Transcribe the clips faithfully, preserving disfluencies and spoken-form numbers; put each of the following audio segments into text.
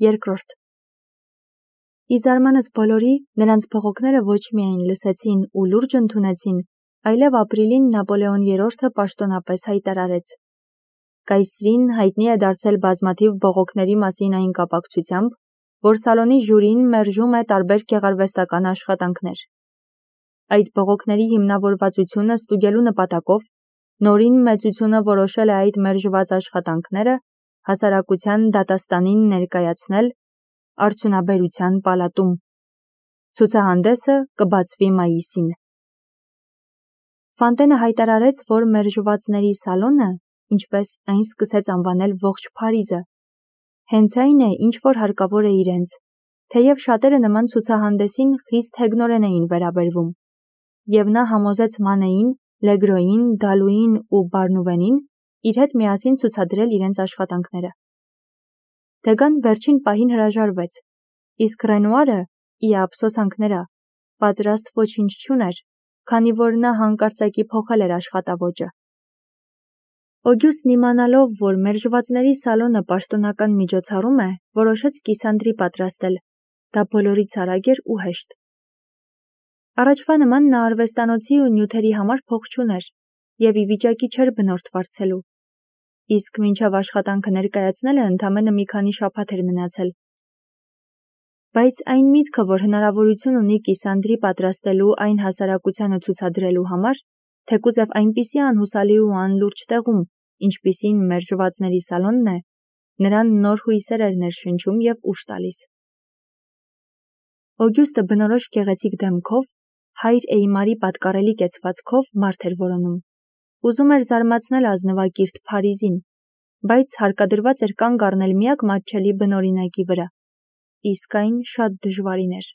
Երկրորդ. Ի զարմանս բոլորի, նրանց բողոքները ոչ միայն լսեցին ու լուրջ ընդունեցին, այլև ապրիլին Նապոլեոն երրորդը պաշտոնապես հայտարարեց. Կայսրին հայտնի է դարձել բազմաթիվ բողոքների մասին այն կապակցությամբ, որ սալոնի ժյուրին մերժում է տարբեր գեղարվեստական աշխատանքներ։ Այդ բողոքների հիմնավորվածությունը ստուգելու նպատակով նորին մեծությունը որոշել է այդ մերժված աշխատանքները հասարակության դատաստանին ներկայացնել արդյունաբերության պալատում։ Ցուցահանդեսը կբացվի մայիսին։ Ֆանտենը հայտարարեց, որ մերժվածների սալոնը, ինչպես այն սկսեց անվանել ողջ Փարիզը, հենց այն է, ինչ որ հարկավոր է իրենց, թեև շատերը նման ցուցահանդեսին խիստ հեգնորեն էին վերաբերվում, և նա համոզեց Մանեին, Լեգրոյին, Դալուին ու Բարնուվենին իր հետ միասին ցուցադրել իրենց աշխատանքները։ Դեգան վերջին պահին հրաժարվեց, իսկ Ռենուարը, ի ափսոսանք նրա, պատրաստ ոչինչ չուներ, քանի որ նա հանկարծակի փոխել էր աշխատավոճը։ Օգյուստն իմանալով, որ մերժվածների սալոնը պաշտոնական միջոցառում է, որոշեց կիսանդրի պատրաստել, դա բոլորից արագ էր ու հեշտ։ Առաջվա նման նա արվեստանոցի ու նյութերի համար փող չուներ և ի վիճակի չէր բնորդ վարձելու, իսկ մինչև աշխատանքը ներկայացնելը ընդամենը մի քանի շաբաթ էր մնացել։ Բայց այն միտքը, որ հնարավորություն ունի կիսանդրի պատրաստելու այն հասարակությանը ցուցադրելու համար, թեկուզև այնպիսի անհուսալի ու անլուրջ տեղում, ինչպիսին մերժվածների սալոնն է, նրան նոր հույսեր էր ներշնչում և ուժ տալիս։ Օգյուստը բնորոշ գեղեցիկ դեմքով, հայր Էյմարի պատկառելի կեցվածքով մարդ էր որոնում։ Ուզում էր զարմացնել ազնվակիրթ Փարիզին, բայց հարկադրված էր կանգ առնել միակ մատչելի բնօրինակի վրա, իսկ այն շատ դժվարին էր։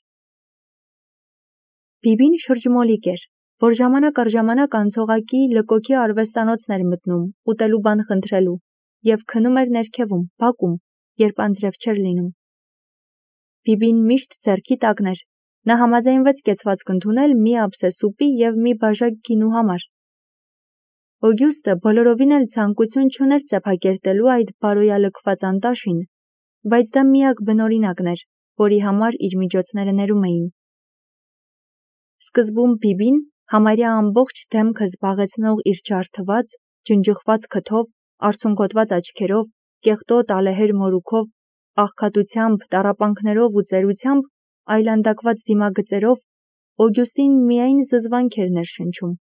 Բիբին շրջմոլիկ էր, որ ժամանակ առ ժամանակ անցողակի լկոքի արվեստանոցն էր մտնում, ուտելու բան խնդրելու, և քնում էր ներքևում, բակում, երբ անձրև չէր լինում։ Բիբին միշտ ձեռքի տակն էր, նա համաձայնվեց կեցվածք ընդունել մի ափսե սուպի և մի բաժակ գինու համար։ Օգյուստը բոլորովին էլ ցանկություն չուներ ծեփակերտելու այդ բարոյալքված անտաշին, բայց դա միակ բնօրինակն էր, որի համար իր միջոցները ներում էին։ Սկզբում Բիբին, համարյա ամբողջ դեմքը զբաղեցնող իր ջարդված, ջնջխված քթով, արցունքոտված աչքերով, կեղտոտ ալեհեր մորուքով, աղքատությամբ, տառապանքներով ու ծերությամբ, այլանդակված դիմագծերով, Օգյուստին միայն զզվանք էր ներշնչում,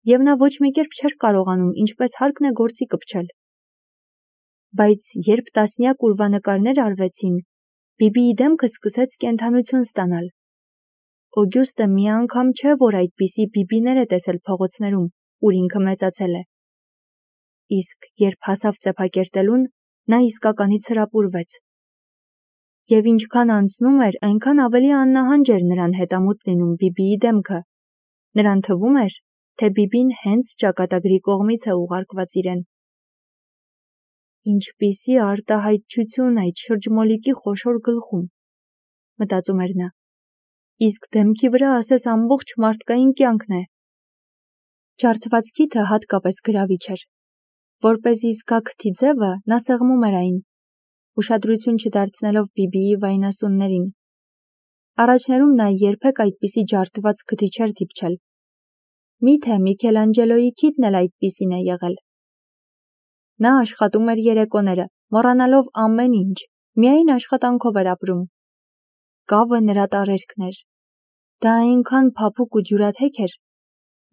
և նա ոչ մի կերպ չէր կարողանում ինչպես հարկն է գործի կպչել։ Բայց երբ տասնյակ ուրվանկարներ արվեցին, Բիբիի դեմքը սկսեց կենդանություն ստանալ։ Օգյուստը մի անգամ չէ, որ այդպիսի Բիբիներ է տեսել փողոցներում, ուր ինքը մեծացել է։ Իսկ երբ հասավ ծեփակերտելուն, նա իսկականից հրապուրվեց։ Եվ ինչքան անցնում էր, այնքան ավելի աննահանջ էր նրան հետամուտ լինում Բիբիի դեմքը։ Նրան թվում էր, թե Բիբին հենց ճակատագրի կողմից է ուղարկված իրեն։ Ինչպիսի արտահայտչություն այդ շրջմոլիկի խոշոր գլխում, մտածում էր նա, իսկ դեմքի վրա ասես ամբողջ մարդկային կյանքն է։ Ջարդված քիթը հատկապես գրավիչ էր։ Որպեսզի զգա քթի ձևը, նա սեղմում էր այն, ուշադրություն չդարձնելով Բիբիի վայնասուններին։ Առաջներում նա երբեք այդպիսի ջարդված քթի չէր դիպչել։ Միթե Միքելանջելոյի քիթն էլ այդպիսին է եղել։ Նա աշխատում էր երեկոները, մոռանալով ամեն ինչ, միայն աշխատանքով էր ապրում։ Կավը նրա տարերքն էր։ Դա այնքան փափուկ ու ջուրաթեք էր,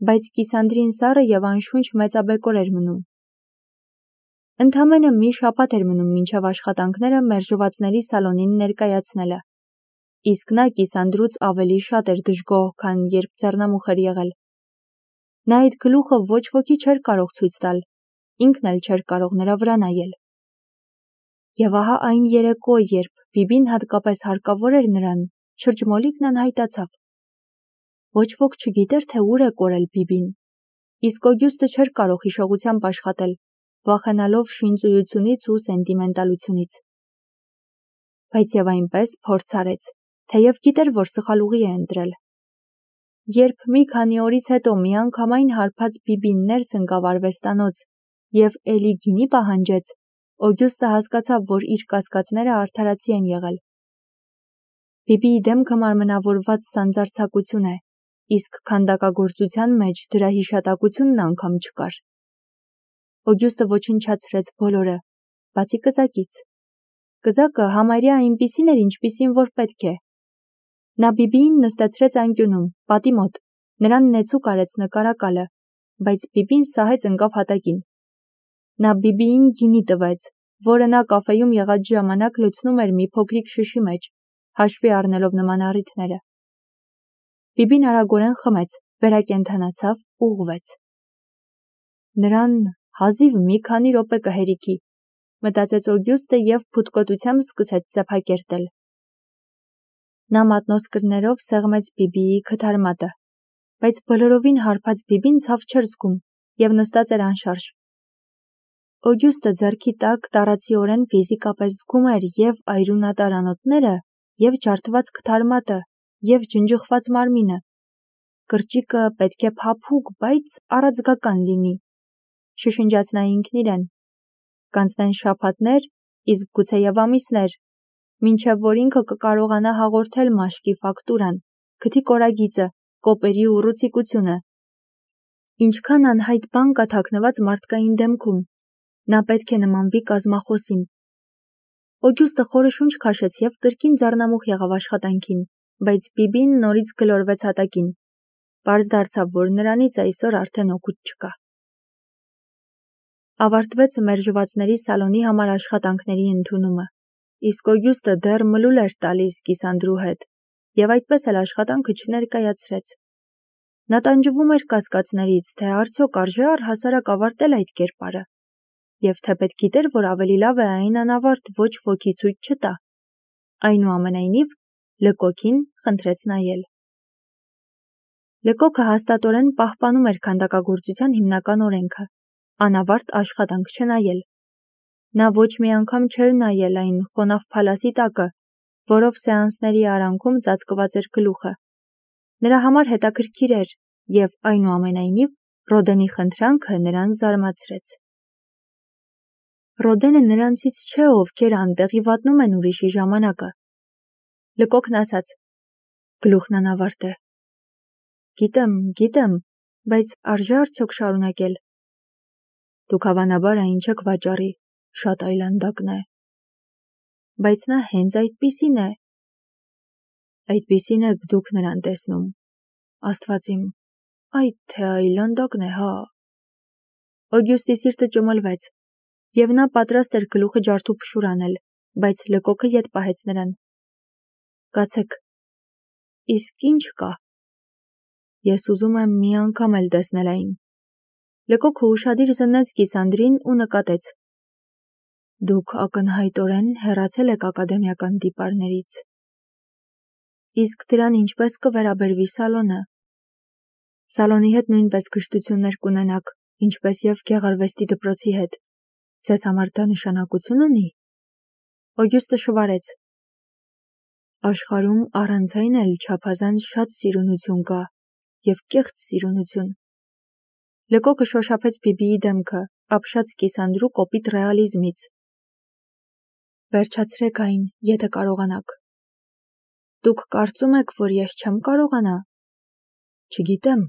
բայց կիսանդրին սառը և անշունչ մեծաբեկոր էր մնում։ Ընդամենը մի շաբաթ էր մնում մինչև աշխատանքները մերժվածների սալոնին ներկայացնելը, իսկ նա կիսանդրուց ավելի շատ էր դժգոհ, քան երբ ձեռնամուխ էր եղել։ Նա այդ գլուխը ոչ ոքի չէր կարող ցույց տալ, ինքն էլ չէր կարող նրա վրա նայել։ Եվ ահա այն երեկո, երբ Բիբին հատկապես հարկավոր էր նրան, շրջմոլիկն անհայտացավ։ Ոչ ոք չգիտեր, թե ուր է կորել Բիբին, իսկ Օգյուստը չէր կարող հիշողությամբ աշխատել, վախենալով շինծույությունից ու սենտիմենտալությունից։ Բայց և այնպես փորձ արեց, թեև գիտեր, որ սխալ ուղի է ընտրել։ Երբ մի քանի օրից հետո միանգամայն հարբած Բիբին ներս ընկավ արվեստանոց և էլի գինի պահանջեց, Օգյուստը հասկացավ, որ իր կասկածները արդարացի են եղել։ Բիբիի դեմքը մարմնավորված սանձարձակություն է, իսկ քանդակագործության մեջ դրա հիշատակությունն անգամ չկար։ Օգյուստը ոչնչացրեց բոլորը, բացի կզակից։ Կզակը համարյա այնպիսին էր, ինչպիսին որ պետք է։ Նա Բիբիին նստեցրեց անկյունում, պատի մոտ, նրան նեցուկ արեց նկարակալը, բայց Բիբին սահեց ընկավ հատակին։ Նա Բիբիին գինի տվեց, որը նա կաֆեում եղած ժամանակ լցնում էր մի փոքրիկ շշի մեջ, հաշվի առնելով նման առիթները։ Բիբին արագորեն խմեց, վերակենդանացավ, ուղղվեց։ Նրան հազիվ մի քանի րոպե կհերիքի, մտածեց Օգյուստը և փութկոտությամբ սկսեց ծեփակերտել։ Նա մատնոսկրներով սեղմեց Բիբիի քթարմատը, բայց բոլորովին հարբած Բիբին ցավ չէր զգում և նստած էր անշարժ։ Օգյուստը ձեռքի տակ տառացիորեն ֆիզիկապես զգում էր և այրունատար անոթները, և ջարդված քթարմատը, և ջնջխված մարմինը։ Կրճիկը պետք է փափուկ, բայց առաձգական լինի, շշնջաց նա ինքն իրեն։ Կանցնեն շաբաթներ, իսկ գուցեև ամիսներ, մինչև որ ինքը կկարողանա հաղորդել մաշկի ֆակտուրան, քթի կորագիծը, կոպերի ուռուցիկությունը։ Ինչքան անհայտ բան կա թաքնված մարդկային դեմքում, նա պետք է նմանվի կազմախոսին։ Օգյուստը խորը շունչ քաշեց և կրկին ձառնամուխ եղավ աշխատանքին, բայց Բիբին նորից գլորվեց հատակին։ Պարզ դարձավ, որ նրանից այսօր արդեն օգուտ չկա։ Ավարտվեց մերժվածների սալոնի համար աշխատանքների ընդունումը, իսկ Օգյուստը դեռ մլուլ էր տալիս կիսանդրու հետ, և այդպես էլ աշխատանքը չներկայացրեց։ Նա տանջվում էր կասկածներից, թե արդյոք արժե առհասարակ ավարտել այդ կերպարը, և թե պետք գիտեր, որ ավելի լավ է այն անավարտ ոչ ոքի ցույց չտա։ Այնուամենայնիվ, Լկոքին խնդրեց նայել։ Լկոքը հաստատորեն պահպանում էր քանդակագործության հիմնական օրենքը՝ անավարտ աշխատանք չնայել։ Նա ոչ մի անգամ չէր նայել այն խոնավ փալասի տակը, որով սեանսների արանքում ծածկված էր գլուխը։ Նրա համար հետաքրքիր էր, և այնուամենայնիվ Ռոդենի խնդրանքը նրան զարմացրեց։ Ռոդենը նրանցից չէ, ովքեր անտեղի վատնում են ուրիշի ժամանակը։ Լկոքն ասաց. գլուխն անավարտ է։ Գիտեմ, գիտեմ, բայց արժե արդյոք շարունակել։ Դուք հավանաբար այն չեք վաճառի, շատ այլանդակն է։ Բայց նա հենց այդպիսին է։ Այդպիսին եք դուք նրան տեսնում։ Աստված իմ, այդ թե այլանդակն է, հա։ Օգյուստի սիրտը ճմլվեց, և նա պատրաստ էր գլուխը ջարդուփշուր անել, բայց Լկոքը ետ պահեց նրան։ Կացեք, իսկ ինչ կա։ Ես ուզում եմ մի անգամ էլ տեսնել այն։ Լկոքը ուշադիր զննեց կիսանդրին ու նկատեց. Դուք ակնհայտորեն հեռացել եք ակադեմիական տիպարներից։ Իսկ դրան ինչպես կվերաբերվի սալոնը։ Սալոնի հետ նույնպես կշտություններ կունենաք, ինչպես և գեղարվեստի դպրոցի հետ։ Ձեզ համար դա նշանակություն ունի։ Օգյուստը շվարեց. Աշխարհում առանց այն էլ չափազանց շատ սիրունություն կա, և կեղծ սիրունություն։ Լկոքը շոշափեց Բիբիի դեմքը, ապշած կիսանդրու կոպիտ ռեալիզմից։ Վերջացրեք այն, եթե կարողանաք։ Դուք կարծում եք, որ ես չեմ կարողանա։ Չգիտեմ,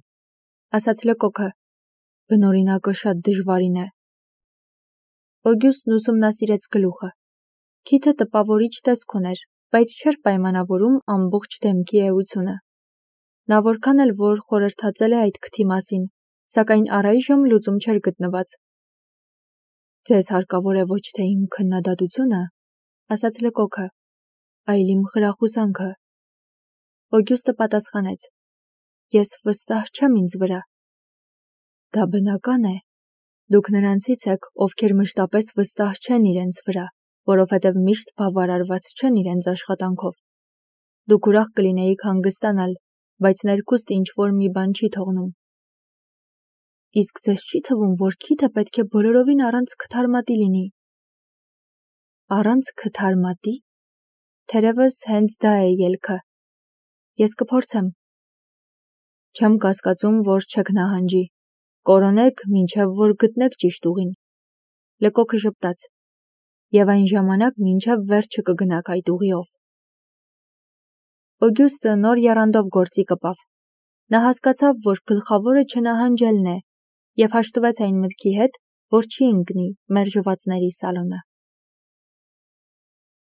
ասաց Լկոքը, բնօրինակը շատ դժվարին է։ Օգյուստն ուսումնասիրեց գլուխը։ Քիթը տպավորիչ տեսք ուներ, բայց չէր պայմանավորում ամբողջ դեմքի էությունը։ Նա որքան էլ որ խորհրդածել է այդ քթի մասին, սակայն առայժմ լուծում չէր գտնված։ Ձեզ հարկավոր է ոչ թե իմ քննադատությունը, ասաց Լկոքը, այլ իմ խրախուսանքը։ Օգյուստը պատասխանեց. Ես վստահ չեմ ինձ վրա։ Դա բնական է։ Դուք նրանցից եք, ովքեր մշտապես վստահ չեն իրենց վրա, որովհետև միշտ բավարարված չեն իրենց աշխատանքով։ Դուք ուրախ կլինեիք հանգստանալ, բայց ներքուստ ինչ-որ մի բան չի թողնում։ Իսկ ձեզ չի թվում, որ քիթը պետք է բոլորովին առանց քթարմատի լինի։ Առանց քթարմատի։ Թերևս հենց դա է ելքը։ Ես կփորձեմ։ Չեմ կասկածում, որ չեք նահանջի։ Կորոնեք, մինչև որ գտնեք ճիշտ ուղին։ Լկոքը ժպտաց։ եւ այն ժամանակ մինչեւ վերջը կգնաք այդ ուղիով։ Օգյուստը նոր եռանդով գործի կպավ։ Նա հասկացավ, որ գլխավորը չնահանջելն է, եւ հաշտվեց այն մտքի հետ, որ չի ընկնի մերժվածների սալոնը։